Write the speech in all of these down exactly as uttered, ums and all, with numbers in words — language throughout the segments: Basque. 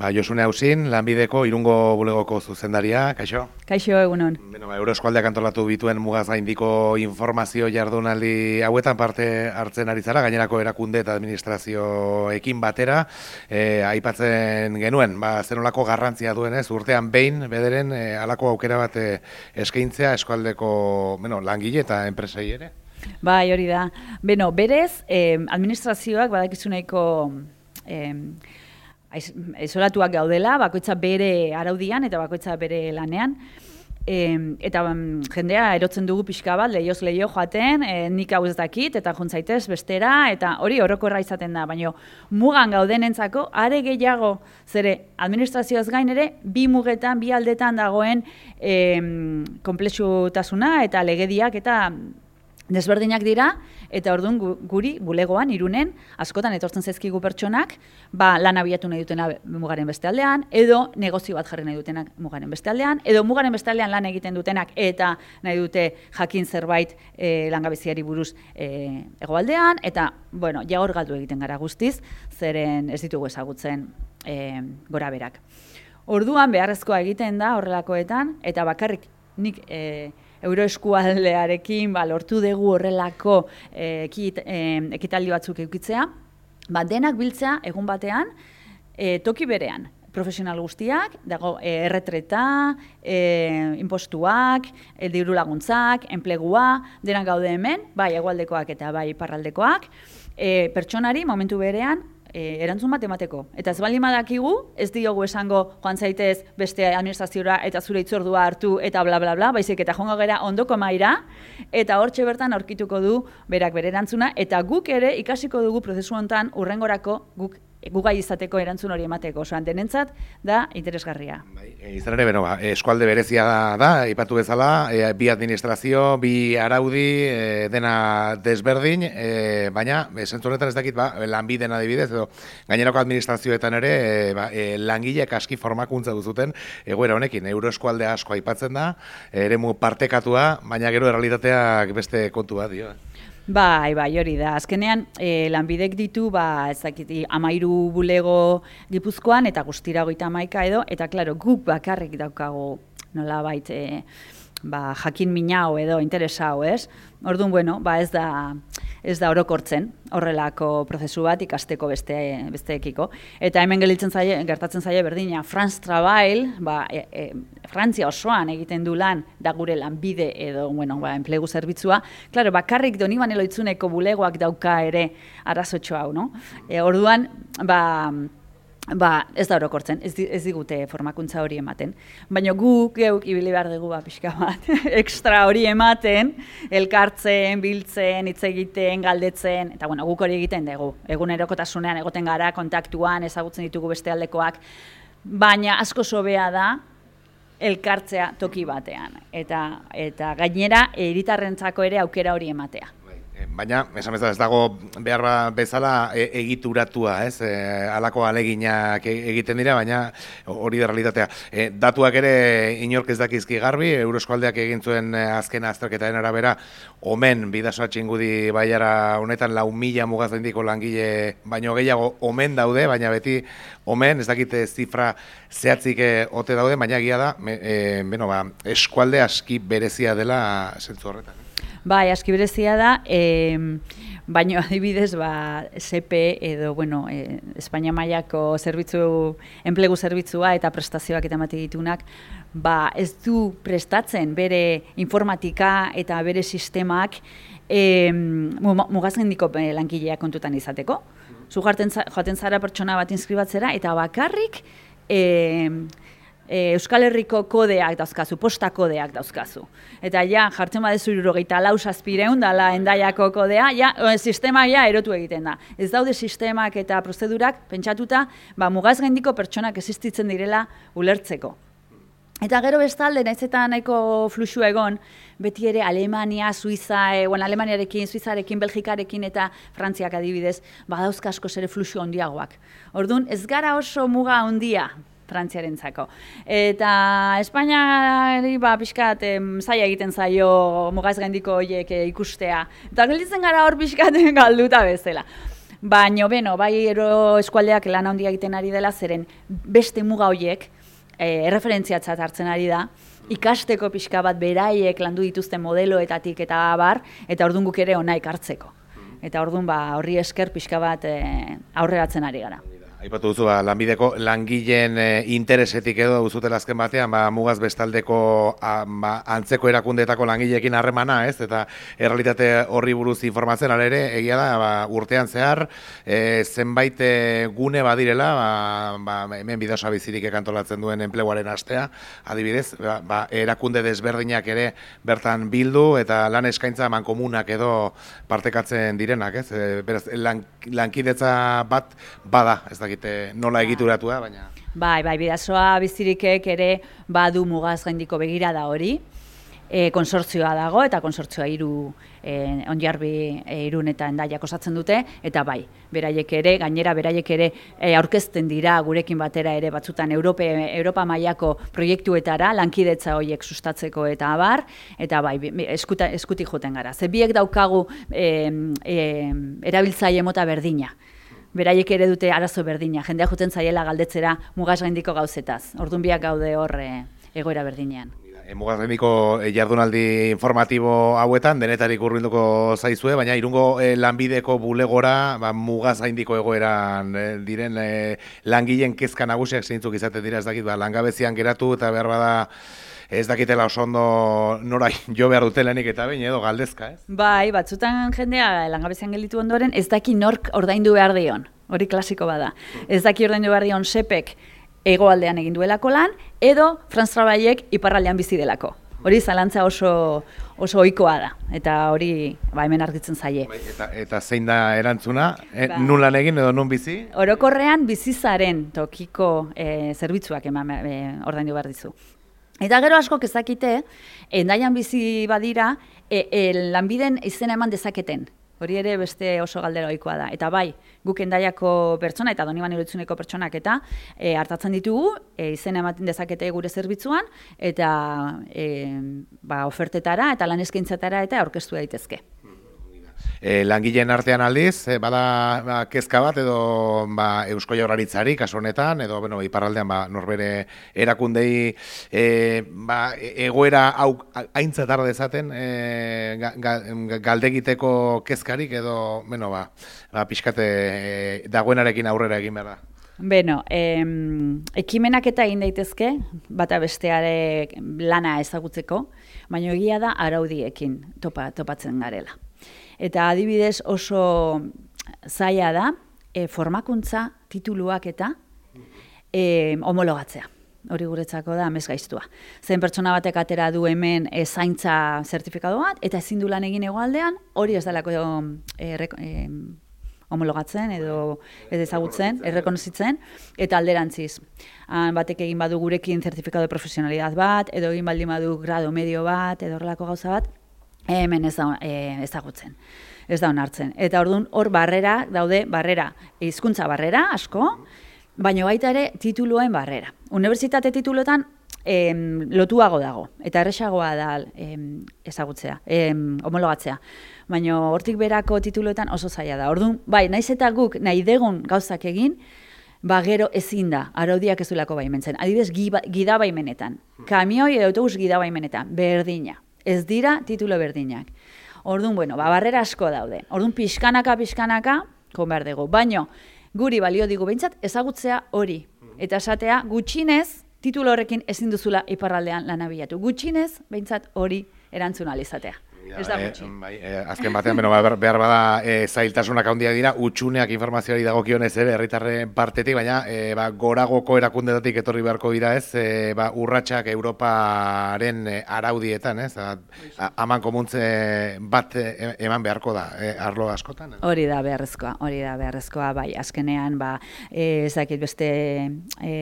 Ba, Josune Hausin, Lanbideko Irungo bulegoko zuzendaria, kaixo? Kaixo, egunon. Bueno, ba, Euroeskualdeak antolatu bituen mugaz gaindiko informazio jardunaldi hauetan parte hartzen ari zara, gainerako erakunde eta administrazioekin batera, e, aipatzen genuen, ba, zenolako garrantzia duenez, urtean behin, bederen, e, halako aukera bat e, eskaintzea eskualdeko bueno, langile eta enpresei ere? Bai, hori da. Beno, berez, eh, administrazioak badakizuneko eh, isolatuak gaudela, bakoitza bere araudian eta bakoitza bere lanean. E, eta um, jendea erotzen dugu pixka bat, lehioz lehio joaten, e, nik hau ez dakit, eta juntzaitez bestera, eta hori orokorra izaten da, baina mugan gaudenentzako, are gehiago, zere administrazioaz gain ere, bi mugetan, bi aldetan dagoen e, konplexutasuna eta legediak eta desberdinak dira, eta orduan guri, bulegoan, Irunen, askotan etortzen zaizkigu pertsonak, ba, lan abiatu nahi dutena mugaren beste aldean, edo negozio bat jarri nahi dutenak mugaren beste aldean, edo mugaren beste aldean lan egiten dutenak, eta nahi dute jakin zerbait e, langabeziari buruz e, hegoaldean, eta, bueno, ja hor galdu egiten gara guztiz, zeren ez ditugu ezagutzen e, gora berak. Orduan beharrezkoa egiten da horrelakoetan, eta bakarrik nik e, Euroeskualdearekin ba, lortu dugu horrelako eh, ekit, eh, ekitaldi batzuk eukitzea, ba, denak biltzea egun batean, eh, toki berean. Profesional guztiak, dago eh, erretreta, eh, impostuak, eh, diru laguntzak, enplegua, denak gaude hemen, bai hegoaldekoak eta bai iparraldekoak, eh, pertsonari momentu berean, E, erantzun bat emateko. Eta ez baldin badakigu, ez diogu esango joan zaitez beste administraziora eta zure hitzordua hartu eta bla bla bla, baizik eta joango gera ondoko mahaira, eta hortxe bertan aurkituko du berak bere erantzuna, eta guk ere ikasiko dugu prozesu honetan urrengorako guk gugai izateko erantzun hori emateko. Osoan denentzat da interesgarria. Bai, izan ere, beno, eskualde berezia da, da ipatu bezala, e, bi administrazio, bi araudi, e, dena desberdin, e, baina, zentzu honetan ez dakit, ba, lanbiden adibidez, edo gainerako administrazioetan ere, e, ba, e, langileek aski formakuntza duzuten, egoera honekin, Euroeskualde asko aipatzen da, eremu partekatua, baina gero errealitateak beste kontu bat dio. Bai, bai, hori da. Azkenean, e, lanbidek ditu, ba, ez dakit, amairu bulego Gipuzkoan, eta guztira hogeita hamaika edo, eta, klaro, guk bakarrik daukago, nolabait, e, ba, jakin minau edo interesau, ez? Orduan, bueno, ba, ez da, ez da orokortzen horrelako prozesu bat ikasteko beste, besteekiko. Eta hemen gelditzen zaie, gertatzen zaie berdina, France Travail, ba, e, e, Frantzia osoan egiten du lan, da gure lanbide edo, bueno, ba, enplegu zerbitzua. Claro, bakarrik Donibane Lohitzuneko bulegoak dauka ere arazotxo hau, no? E, orduan, ba, Ba, ez da orokortzen, ez, ez digute formakuntza hori ematen. Baina guk geuk ibili behar dugu ba, pixka bat, ekstra hori ematen, elkartzen, biltzen, hitz egiten, galdetzen, eta bueno, guk hori egiten dugu. Egunerokotasunean egoten gara, kontaktuan, ezagutzen ditugu beste aldekoak, baina asko sobea da elkartzea toki batean. Eta, eta gainera, hiritarrentzako ere aukera hori ematea. Baina, esan bezala, ez dago behar bezala e, egituratua, ez? E, halako aleginak egiten dira, baina hori da realitatea. E, datuak ere inork ez dakizki garbi, Euroeskualdeak egin zuen azken azterketaren arabera, omen bidasoa txingudi baiara honetan lau mila mugazendiko langile baino gehiago omen daude, baina beti omen, ez dakite zifra zehatzik ote daude, baina egia da, e, beno, ba, eskualde aski berezia dela zentzu horretan. Bai, aski berezia da, e, baina adibidez, ba, S P edo, bueno, e, Espainia mailako zerbitzu, enplegu zerbitzua eta prestazioak eta emate ditunak, ba, ez du prestatzen bere informatika eta bere sistemak e, mugazgendiko langileak kontutan izateko. Zu joaten zara pertsona bat inskribatzera eta bakarrik e, E, Euskal Herriko kodeak dauzkazu, posta kodeak dauzkazu. Eta ja, jartzen badezu hirurogeita lau zazpiehun dala Hendaiako kodea, ja, sistema ja erotu egiten da. Ez daude sistemak eta prozedurak pentsatuta, ba, mugazgendiko pertsonak existitzen direla ulertzeko. Eta gero bestalde, nahiz eta nahiko fluxu egon, beti ere Alemania, Suiza, e, bueno, Alemaniarekin, Suizarekin, Belgikarekin eta Frantziak adibidez, badauzka askoz ere fluxu handiagoak. Orduan, ez gara oso muga handia Frantziarentzako. Eta Espainiari ba, pixkat zaila egiten zaio mugaz gaindiko horiek ikustea. Eta gelditzen gara hor pixkat galduta bezala. Baina, beno, bai ero eskualdeak lan handia egiten ari dela, zeren beste muga horiek e, erreferentziatzat hartzen ari da, ikasteko pixka bat beraiek landu dituzten modeloetatik eta abar, eta orduan guk ere ona ikartzeko. Eta orduan ba, horri esker pixka bat e, aurreratzen ari gara. Aipatu duzu, ba, lanbideko langileen e, interesetik edo duzutela azken batean, ba, mugaz bestaldeko a, ba, antzeko erakundeetako langileekin harremana, ez? Eta errealitate horri buruz informatzen, ala ere, egia da, ba, urtean zehar, e, zenbait e, gune badirela, ba, ba, hemen Bidasoa Bizirik ekantolatzen duen enpleguaren astea, adibidez, ba, ba, erakunde desberdinak ere bertan bildu, eta lan eskaintza mankomunak edo partekatzen direnak, ez? E, beraz, lan, lankidetza bat bada, ez da nola egituratua, baina... Bai, bai, Bidasoa Bizirikek ere badu mugaz gaindiko begirada hori, e, konsortzioa dago, eta konsortzioa hiru e, Onjarbi e, Irun eta Hendaiak osatzen dute, eta bai, beraiek ere, gainera beraiek ere e, aurkezten dira gurekin batera ere batzutan Europe, Europa mailako proiektuetara, lankidetza horiek sustatzeko eta abar, eta bai, eskuta, eskutik joten gara. Ze biek daukagu e, e, erabiltzaile mota berdina. Beraiek ere dute arazo berdina, jendea jotzen zaiela galdetzera mugaz gaindiko gauzetaz. Orduan biak gaude hor e, egoera berdinean. E, mugaz gaindiko jardunaldi informatibo hauetan, denetarik hurbilduko zaizue, baina Irungo e, lanbideko bulegora ba, mugaz gaindiko egoeran e, diren e, langileen kezka nagusiak zeintzuk izaten dira, ez dakit, ba, langabezian geratu eta behar bada ez dakitela oso ondo nora jo behar dutelenik eta behin edo galdezka, ez? Bai, batzutan jendea langabezian gelditu ondoren ez daki nork ordaindu behar dion, hori klasiko bada. Ez daki ordaindu behar dion sepek hegoaldean egin duelako lan, edo Franz Trabaiek iparraldean bizi delako. Hori zalantza oso oso ohikoa da, eta hori ba, hemen argitzen zaie. Bai, eta, eta zein da erantzuna? E, ba. Nun lan egin edo nun bizi? Orokorrean bizizaren tokiko e, zerbitzuak eman e, ordaindu behar dizu. Eta gero askok ezakite, Hendaian bizi badira, e, e, lanbiden izena eman dezaketen. Hori ere beste oso galdera ohikoa da. Eta bai, guk Hendaiako pertsona eta Donibane Uritzuneko pertsonak eta e, hartatzen ditugu, e, izena ematen dezakete gure zerbitzuan, eta e, ba, ofertetara eta lan eskaintzatara eta aurkeztu daitezke. E, langileen artean aldiz, e, bada ba, kezka bat edo ba, Eusko Jaurlaritzari kasu honetan, edo bueno, iparraldean ba, norbere erakundei e, ba, egoera hau aintzat har dezaten e, ga, ga, galdegiteko kezkarik edo bueno, ba, ba, pixkate e, dagoenarekin aurrera egin behar da. Beno, em, ekimenak eta egin daitezke, bata besteare lana ezagutzeko, baina egia da araudiekin topa, topatzen garela. Eta adibidez oso zaila da e, formakuntza tituluak eta e, homologatzea. Hori guretzako da amesgaiztua. Zen pertsona batek atera du hemen e, zaintza zertifikatu bat, eta ezin du lan egin hegoaldean, hori ez delako e, e, homologatzen edo ez ezagutzen, errekonozitzen, eta alderantziz. Han batek egin badu gurekin zertifikatu de profesionalidad bat, edo egin baldin badu grado medio bat, edo horrelako gauza bat, hemen ez da e, ezagutzen, ez da onartzen. Eta orduan hor barrera daude, barrera, hizkuntza barrera asko, baina baita ere tituluen barrera. Unibertsitate tituluetan em, lotuago dago, eta erresagoa da em, ezagutzea, em, homologatzea. Baina hortik berako tituluetan oso zaila da. Orduan, bai, naiz eta guk nahi degun gauzak egin, ba gero ezin da, araudiak ez duelako baimentzen. Adibidez, gida baimenetan, kamioi edo autobus gida baimenetan, berdina. Ez dira titulo berdinak. Orduan, bueno, ba, barrera asko daude. Orduan, pixkanaka, pixkanaka, kon behar dugu. Baina, guri balio digu behintzat, ezagutzea hori. Eta esatea, gutxinez, titulo horrekin ezin duzula iparraldean lan abilatu. Gutxinez, behintzat hori erantzun alizatea. Ez da gutxi. E, bai, e, azken batean, beno, behar bada e, zailtasunak handiak dira, utxuneak informazioari dagokionez ere, herritarren partetik, baina e, ba, goragoko erakundetatik etorri beharko dira ez, e, ba, urratsak Europaren e, araudietan, ez, haman komuntze bat e, eman beharko da, e, arlo askotan. Ez? Hori da beharrezkoa, hori da beharrezkoa, bai, azkenean, ba, e, ez dakit beste, e,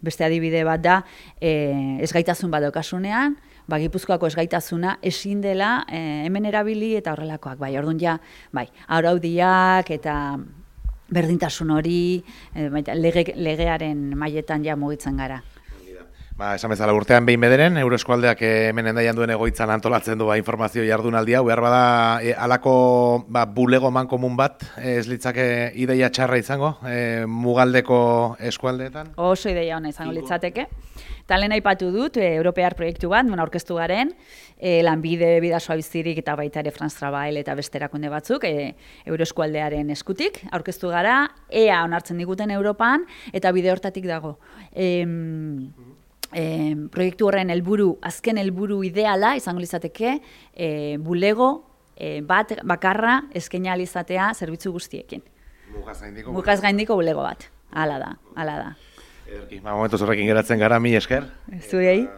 beste adibide bat da, e, ezgaitasun bat daukasunean, ba, Gipuzkoako esgaitasuna ezin dela e, hemen erabili eta horrelakoak. Bai, orduan ja, bai, araudiak eta berdintasun hori, e, lege, legearen mailetan ja mugitzen gara. Ba, esan bezala urtean behin bederen, Euroeskualdeak hemen endaian duen egoitzan antolatzen du ba, informazio jardunaldia, behar bada e, alako ba, bulego mankomun bat, ez litzake ideia txarra izango, e, mugaldeko eskualdeetan? Oso ideia ona izango litzateke. Eta lehen aipatu dut, e, Europear proiektu bat, nuen aurkeztu garen, e, lanbide bidasoa bizirik eta baita ere France Travail eta beste erakunde batzuk, e, Euroeskualdearen eskutik, aurkeztu gara, ea onartzen diguten Europan, eta bide hortatik dago. E, E, proiektu horren helburu, azken helburu ideala izango litzateke, e, bulego e, bat bakarra eskaini izatea zerbitzu guztiekin. Mugaz gaindiko. Mugaz gaindiko bulego bat. Hala da, hala da. Ederki, ba, momentu horrekin geratzen gara, mi esker. Zuei.